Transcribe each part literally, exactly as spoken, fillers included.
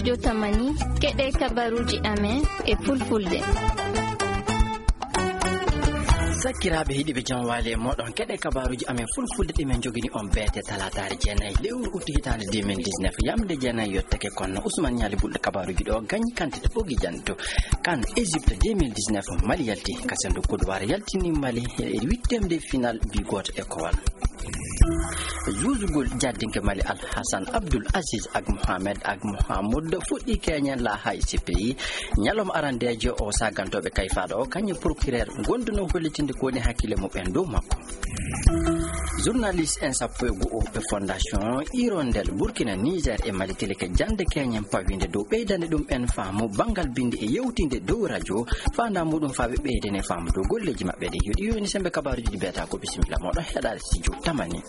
Yo tamani, keɗe kabaruji amen e fulfulde. Sakkiraaɓe heɗiiɓe, jam waali e mooɗon. Keɗe kabaruji amen fulfulde ɗi men njogini on beete talaataare jeenayi lewru utti hitaande deux mille dix-neuf. Yamde jeenayi yottake kono Ousmane Ñaali Bulɗo kabaruji ɗo gañi kantite ɓogi janto. Kan Égypte deux mille dix-neuf, Mali yalti ka sendu Côte d'Ivoire, yaltini Mali e huitième de finale bi gooto e kowal. Juusugol jaddinke Mali Al Hassan Abdul Aziz ak Mohamed ak Mohamoud fuɗɗi keñen la hay C P I. Ñalawma arandeejo o sagantooɓe kayfaaɗo o kañum procureur gonduno hollitinde ko woni hakkille muɓɓen dow makko. Journaliste en sappo e go'o ɓe fondation Hirondelle Burkina, Niger e Mali tilike jande keñen pawinde dow ɓeydande ɗum en faamu banngal bindi e yewtinde dow radio. Faanda muɗum faa ɓe ɓeydane faamu dow golleeji maɓɓe ɗi. Yo ɗi yoni sembe kabaruji ɗi beeta ko bisimilla moɗo heɗaade studio tamani.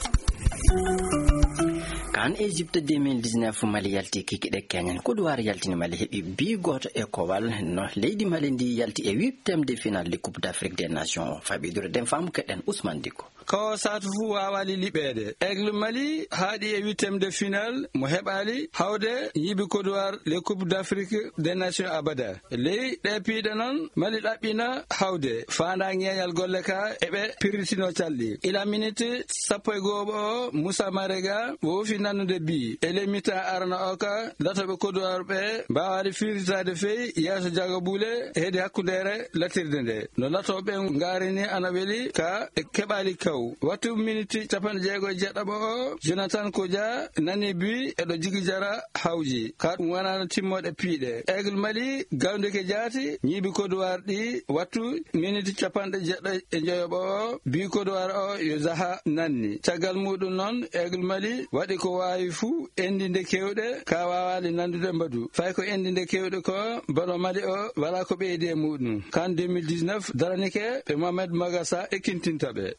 Kan Égypte deux mille dix-neuf, Mali yalti kikiɗe keñen. Côte d'Ivoire yaltini Mali heɓi bi gooto e kowal. No leydi Mali ndi yalti e huitième de finale de Coupe d'Afrique des Nations o. Faɓidure den faamu keɗen Ousmane Diko. Ko saatu fuu waawaali liɓeede. Aigle Mali haaɗi e huitième de finale mo heɓaali hawde ñiibi Côte d'Ivoire le Coupe d'Afrique des Nations abada. Ley ɗe piiɗe noon, Mali ɗaɓɓina hawde faandaa ñeeñal golle ka e ɓe pirritino calɗi. Ila miniti sappo e go'oɓo o, Moussa Marega woofi nannude bi. E ley mitan arana o ka, latooɓe Côte d'Ivoire ɓe mbaawaali firritaade fey yeeso jagabuule hedi hakkundeere latirde nde. No latooɓe ngarini ana weli ka e keɓaali kaw. Wattu miniti capanɗe jeego e jeɗɗaɓo o, Jonathan Kodja nani bi e ɗo jigi jara hawji. Ka ɗum wonano timmoɗe piiɗe. Aigle Mali gawndike jaati, ñiibi Côte d'Ivoire ɗi wattu miniti capanɗe jeɗɗo e njoyoɓo o, bi Côte d'Ivoire o yo Zaha nanni. Caggal muɗum noon, Aigle Mali waɗi ko waawi fuu, endinde kewɗe, ka waawaali nandude mbadu. Fay ko endinde kewɗe ko, balo Mali o, wala ko ɓeydi e muɗum. Kan deux mille dix-neuf, daranike ɓe Mohamed Magasa ekkintinta ɓe.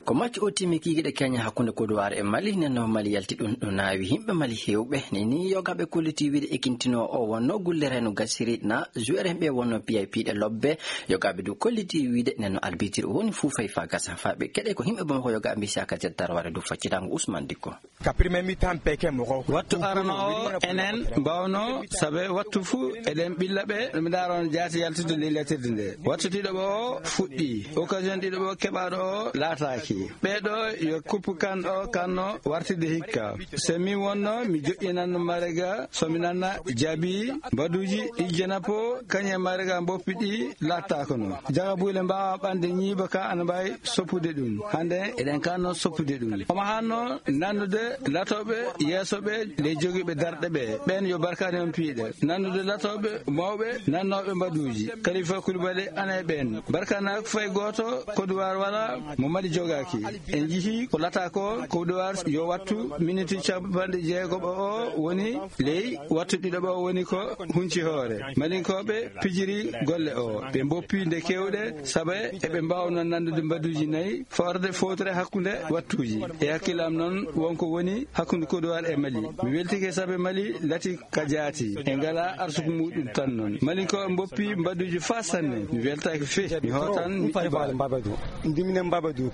Ko match o timmi kikiɗe keñe hakkunde Côte d'Ivoire e Mali, nden no Mali yalti ɗum, ɗum naawi yimɓe Mali heewɓe. Ni, ni yogaɓe kolliti wiide ekintino o wonno gulle reno gasiri na joueur en ɓe wonno P I P ɗe lobbe. Yogaɓe du kolliti wiide nden no arbitre o woni fuu fay fa gasa fa ɓe keɗe ko yimɓe Bamako yogaɓe mbi saka jet tarware du faccitango Ousmane Dikko. Ka premier mi-temps peke mɔgɔ. Wattu arano o enen mbawno sabe wattu fu eɗen ɓilla ɓe mi ndaron jaati yaltude ley latirde nde. Wattu ɗiɗo ɓo o fuɗɗi. Occasion ɗiɗo ɓo keɓaɗo o laataaki. Ɓeɗo yo coupe kan o kanno wartide hikka. Se mi wonno mi joƴƴinanno Marega so mi nanna jaabi mbaduji ɗi jenapo kañe Marega mboppi ɗi lattakono. Jaga buule mbawa ɓande ñiiba ka ana mbawi soppude ɗum. Hande eɗen kanno soppude ɗum. Omo hanno nannude latoɓe yeesoɓe le jogiɓe darɗe ɓe. Ɓen yo barkani on piiɗe. Nannude latoɓe mawɓe nannoɓe mbaduji. Kalifa Koulibaly ana e ɓen. Barkana fay goto Côte d'Ivoire wala mo Mali jogaki. En jihi ko lata ko Côte d'Ivoire yo wattu miniti capanɗe jeegoɓo o woni ley wattu ɗiɗo ɓo woni ko hunci hoore. Malinkoɓe pijiri golle o. Ɓe mboppi nde kewɗe saabe eɓe mbawno nandude mbaduji nayi forde fowtere hakkunde wattuji. E hakkillam noon wonko woni hakkunde Côte d'Ivoire e Mali. Mi weltike saabe Mali lati ka jaati. E ngala arsuku muɗum tan noon. Malinkoɓe mboppi mbaduji fa sanne. Mi weltaki fe. Mi hotan mi ɗiɓa. Mbabadu. Ndiminen Mbabadu.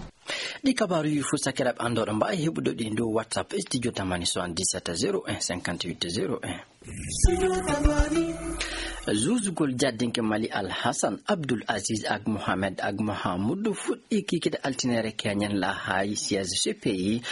Ɗi kabaaruuji fof sakiraaɓe anndooɗo mbaawi heɓude ɗi dow WhatsApp studio tamani soixante-dix-sept zéro un cinquante-huit zéro un. Zuusugol jaddinke Mali Al Hassan Abdul Aziz ak Mohamed ak Mahamudu fuɗɗii kikiɗe altine keñen la hay siège C P I.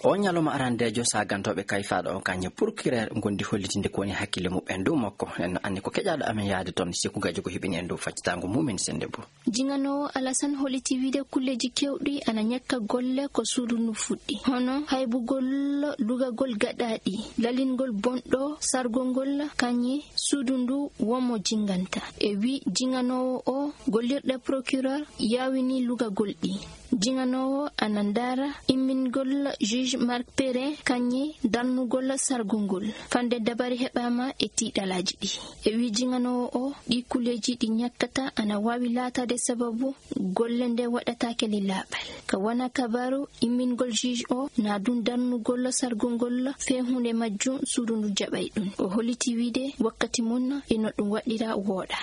O ñalawma arandeejo saagantooɓe kayfaaɗo o kañe procureur ngondi hollitinde ko woni hakkille muɓɓen dow makko. En anndi ko keƴaaɗo amen yahde toon, Seku Gajo ko heɓini en dow faccitaango mumen sennde bo. Jinganoowo Alasan holliti wiide kulleeji keewɗi ana ñakka golle ko suudu ndu fuɗɗi, hono haybugol lugagol gaɗaaɗi, lalingol bonɗo sargongol kañe suudu ndu wonmo jinganta. E wi jinganoowo o, gollirɗe procureur yaawini lugagol ɗi. Jinganoowo ana ndaara immingol juge Marc Perrin kañe darnugol sargongol. Fande dabari heɓaama e tiiɗalaaji ɗi. E wi jinganoowo o, ɗi kulleeji ɗi ñakkata ana waawi laataade sababu golle nde waɗataake ley laaɓal. Ka wona kabaaru immingol juge o, na ɗum darnugol sargongol fee huunde majjum suudu ndu jaɓay ɗum. O holliti wiide wakkati mum e no ɗum waɗira wooɗa.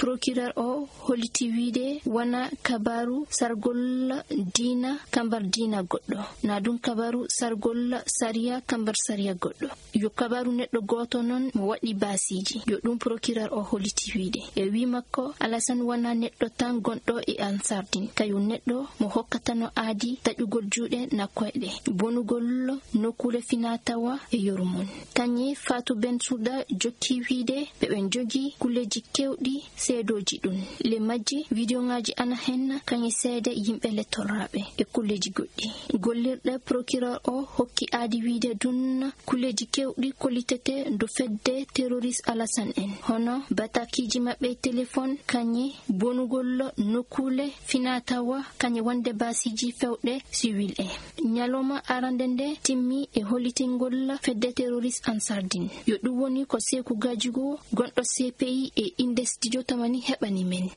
Procureur o holliti wiide wona kabaaru sargol diina kambar diina goɗɗo, na ɗum kabaaru sargol sariya kambar sariya goɗɗo. Yo kabaaru neɗɗo gooto noon mo waɗi baasiiji. Yo ɗum procureur o holliti wiide. E wii makko, Alasan wona neɗɗo tan gonɗo e Ansardin. Kayo neɗɗo mo hokkatano aadi taƴugol juuɗe na koyɗe, bonugol nokkuule finaa-tawaa e yoru mum. Kañe Fatou Bensouda jokki wiide ɓe ɓe njogii kulleeji keewɗi seedooji ɗum. Le majji, wideoŋaaji ana heen kañe seede yimɓe le torraaɓe e kulleeji goɗɗi. Gollirɗe procureur o hokki aadi wiide ɗum kulleeji keewɗi kollitetee dow fedde terroriste Alasan en, hono batakiiji maɓɓe téléphone, kañe bonugol nokkuule finaa-tawaa, kañe wonde baasiiji fewɗe siwil en. Ñalawma arande nde timmi e hollitingol fedde terroriste Ansardin. Yo ɗum woni ko Seeku Gajigo, gonɗo C P I e innde Studio Tamani heɓani men.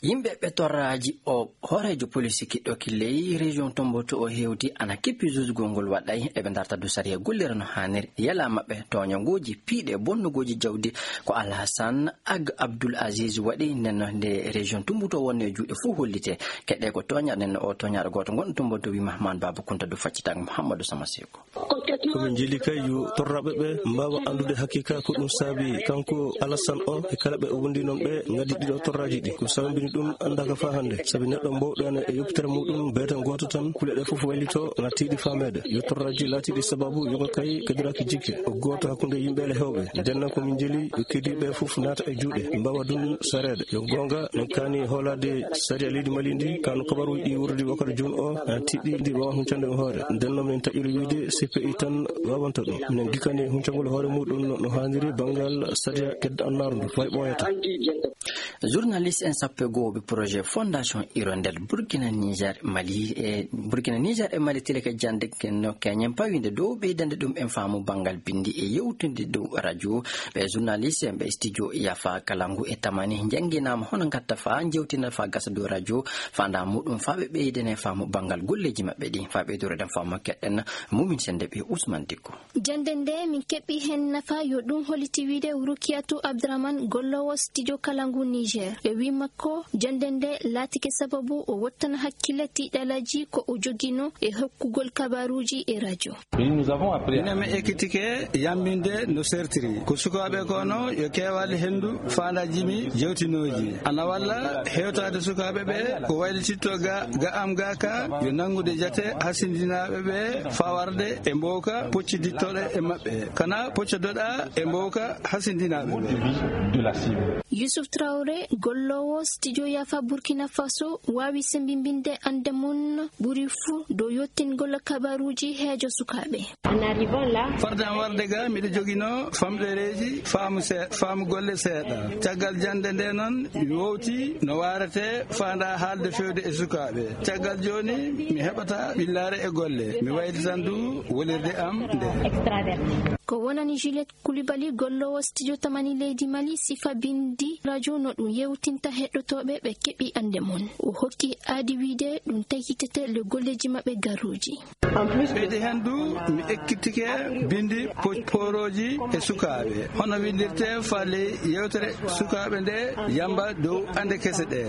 Yimɓe ɓe torraaji o hooreejo poliisi kiɗɗo killey région Tomboto o hewti ana kippi jusgol ngol waɗay eɓe darta dow sariya gollira no haaniri. Yala maɓɓe tooñangooji piiɗe bonnugooji jawdi ko Alhasan Ag Abdul Aziz waɗi nden no nde région Tomboto wonno e juuɗe fof hollite. Keɗɗe ko tooña nden no o tooñaaɗo gooto ngon Tomboto wi Mahman Baba Kunta dow faccitaango Mouhamadou Sama Seko. Ko min njeli kay yo torraaɓe ɓe mbaawa anndude hakiika ko ɗum saabi kanko Alassane o e kala ɓe o wondi noon ɓe ngaddi ɗiɗo torraaji ɗi. Ko sababini ɗum anndaaka faa hannde, sabi neɗɗo mbowɗo ene e yoppitere muɗum beeta gooto tan, kuule ɗe fof waylito na tiiɗi faameede. Yo torraaji laatiiɗi sababu yoga kay kadiraaki jikke. O gooto hakkunde yimɓe le heewɓe. Nden noon ko min njeli yo keddiiɓe fof naata e juuɗe, mbaawa ɗum sareede. Yo goonga, min kaani hoolaade sariya leydi Mali ndi, kano kabaruuji ɗi wuurdi wakkati jooni o, na tiiɗi ndi waawa huncande ɗum hoore. Nden noon min taƴiri wiide C P I tan waawanta ɗum. Minen ngikkani huncangol hoore muɗum no, no haaniri banngal sariya kedda annaaru ndu, fay ɓooyata. Journaliste en sappo e goo ɓe projet Fondation Hirondelle Burkina Niger Mali e Burkina Niger e Mali tile ka jannde no keñen pawinde dow ɓeydande ɗum en faamu banngal binndi e yewtude dow radio. Ɓe journaliste en ɓe studio Yafa Kalangu e Tamani njannginaama hono ngatta faa njewtina faa gasa dow radio faanda muɗum faa ɓe ɓeydane faamu banngal golleeji maɓɓe ɗi faa ɓeydoreden faamu keɗɗen Mumin Sende ɓe Ousmane Dikko. Jannde nde min keɓɓi heen nafa yo ɗum holliti wiide Rukiyatu Abdourahmane golloowo studio Kalangu Niger. E wii makko, jannde nde laatike sababu o wottana hakkille tiiɗalaaji ko o joginoo e hokkugol kabaaruuji e radio. Minen min ekkitike yambinde no sertiri. Ko sukaaɓe ko no yo keewaali henndu faandaaji mi jewtinooji. Ana walla hewtaade sukaaɓe ɓe ko waylititto ga, ga am ga ka yo nanngude jate hasindinaaɓe ɓe fawarde e mbowka poccidittooɗo e maɓɓe. Kana poccodoɗa e mbowka hasindinaaɓe ɓe. Youssouf Traoré, golloowo studio Yafa Burkina Faso, waawi sembimbinde annde mum ɓuri fuu dow yottingol kabaaruuji heejo sukaaɓe. Farde am warde ga, miɗo joginoo famɗereeji faamu see-, faamu golle seeɗa. Caggal jannde nde noon, mi wowti no waarete faanda haalde fewde e sukaaɓe. Caggal jooni, mi heɓata ɓillaare e golle. Mi waylitan du wolirde am nde. Ko wonani Juliette Koulibaly, golloowo studio Tamani leydi Mali, sifa binndi radio no ɗum yewtinta heɗotooɓe ɓe keɓi annde mum. O hokki aadi wiide ɗum tayitete le golleeji maɓɓe garooji. Ɓeydi heen du, mi ekkitike binndi po-, poorooji e sukaaɓe. Hono winndirte faale yewtere sukaaɓe nde yamba dow annde kese ɗe.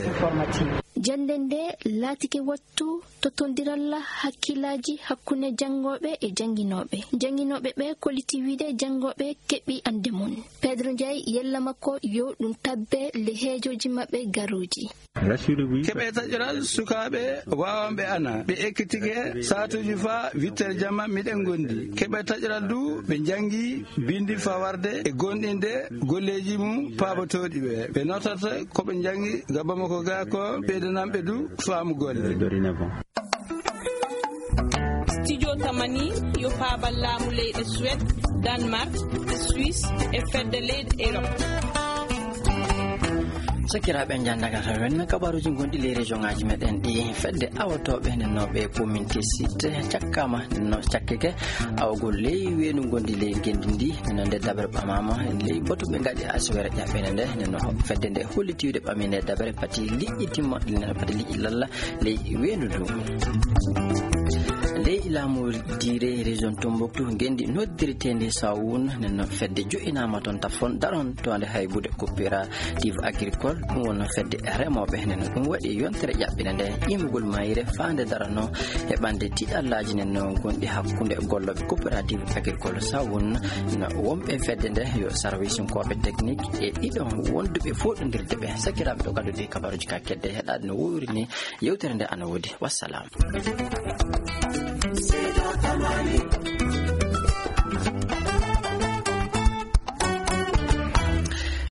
Jannde nde laatike wattu tottondiral hakkillaaji hakkunde janngooɓe e jannginooɓe. Jannginooɓe ɓe kolliti wiide janngooɓe keɓi annde mum. Pedro Ndiaye yella makko yo ɗum tabbe le heejooji maɓɓe garooji. Keɓe taƴoral sukaaɓe waawanɓe ana. Ɓe ekkitike saatuuji faa wittere jamma miɗen ngondi. Keɓe taƴoral du ɓe njanngi binndi fawarde e goonɗinde golleeji mum paabotooɗi ɓe. Ɓe nootata ko ɓe njanngi ga Bamako ga ko ɓeydananɓe du faamu golle. Studio Tamani yo paabal laamu leyɗe Suède, Danemark, Suisse e fedde leyɗe Europe. Sakiraaɓe, njanndagal ren kabaaruuji gonɗi ley région ŋaaji meɗen ɗi. Fedde awotooɓe nden no ɓe commune Tessit cakkaama nden no cakkeke awgol ley weendu ngondi ley ngenndi ndi. Nden no nde dabere ɓamaama ley batu ɓe ngaɗi aswere ƴaɓɓene nde. Nden no fedde nde holliti wiide ɓami nde dabere pati liƴƴi timma, nden no pati liƴƴi lalla ley weendu ndu. Ley Laamu diire région Tombouctou, ngenndi noddirteende Sawun, nen fedde jo'inaama toon Tafon, daron toonde haybude coopérative agricole, ɗum wonno fedde remooɓe. Nen ɗum waɗi yontere ƴaɓɓinde nde imugol mayre faande darano e ɓande tiɗallaaji nen gonɗi hakkunde gollooɓe coopérative agricole Sawun, no wonɓe fedde nde yo sarwisinkooɓe technique e ɗiɗon wonduɓe fooɗondirde ɓe. Sakiraaɓe, ɗo gaddude kabaruuji ka kedde heɗaade no wuuri ni, yewtere nde ana woodi. Wassalam.